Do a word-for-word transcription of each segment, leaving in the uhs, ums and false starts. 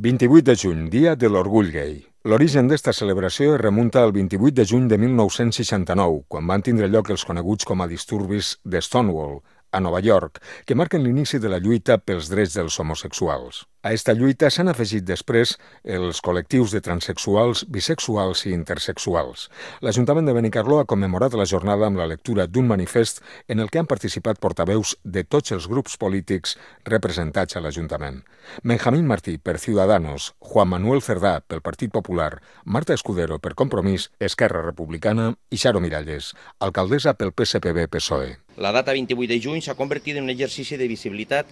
vint-i-vuit de juny, Dia de l'Orgull Gai. L'origen d'esta celebració es remunta al vint-i-vuit de juny de mil nou-cents seixanta-nou, quan van tindre lloc els coneguts com a disturbis de Stonewall, a Nova York, que marquen l'inici de la lluita pels drets dels homosexuals. A esta lluita s'han afegit després els col·lectius de transexuals, bisexuals i intersexuals. L'Ajuntament de Benicarló ha commemorat la jornada amb la lectura d'un manifest en el que han participat portaveus de tots els grups polítics representats a l'Ajuntament. Benjamín Martí, per Ciudadanos, Juan Manuel Cerdà, pel Partit Popular, Marta Escudero, per Compromís, Esquerra Republicana i Xaro Miralles, alcaldessa pel P S P B P S O E. La data vint-i-vuit de juny s'ha convertit en un exercici de visibilitat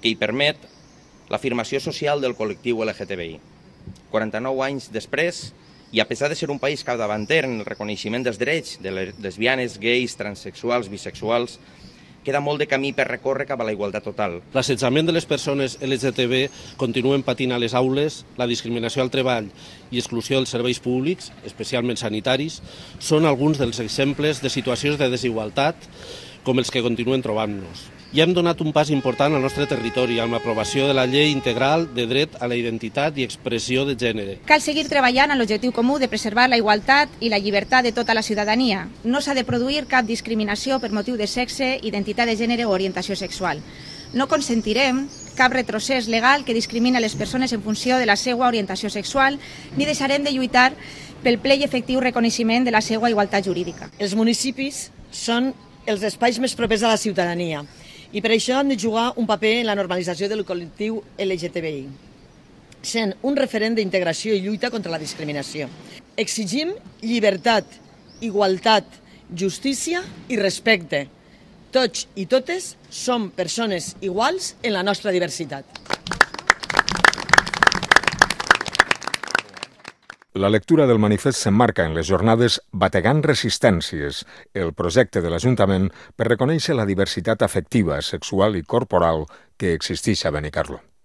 que hi permet l'afirmació social del col·lectiu L G T B I. quaranta-nou anys després, i a pesar de ser un país capdavanter en el reconeixement dels drets de les lesbianes, gais, transexuals, bisexuals, queda molt de camí per recórrer cap a la igualtat total. L'assetjament de les persones L G T B continuen patint a les aules, la discriminació al treball i exclusió dels serveis públics, especialment sanitaris, són alguns dels exemples de situacions de desigualtat com els que continuen trobant-nos. Ja hem donat un pas important al nostre territori amb l'aprovació de la Llei Integral de Dret a la Identitat i Expressió de Gènere. Cal seguir treballant en l'objectiu comú de preservar la igualtat i la llibertat de tota la ciutadania. No s'ha de produir cap discriminació per motiu de sexe, identitat de gènere o orientació sexual. No consentirem cap retrocés legal que discrimina les persones en funció de la seva orientació sexual, ni deixarem de lluitar pel ple i efectiu reconeixement de la seva igualtat jurídica. Els municipis són els espais més propers a la ciutadania i per això han de jugar un paper en la normalització del col·lectiu L G T B I, sent un referent d'integració i lluita contra la discriminació. Exigim llibertat, igualtat, justícia i respecte. Tots i totes som persones iguals en la nostra diversitat. La lectura del manifest s'emmarca en les jornades Bategant Resistències, el projecte de l'Ajuntament per reconèixer la diversitat afectiva, sexual i corporal que existeix a Benicarló.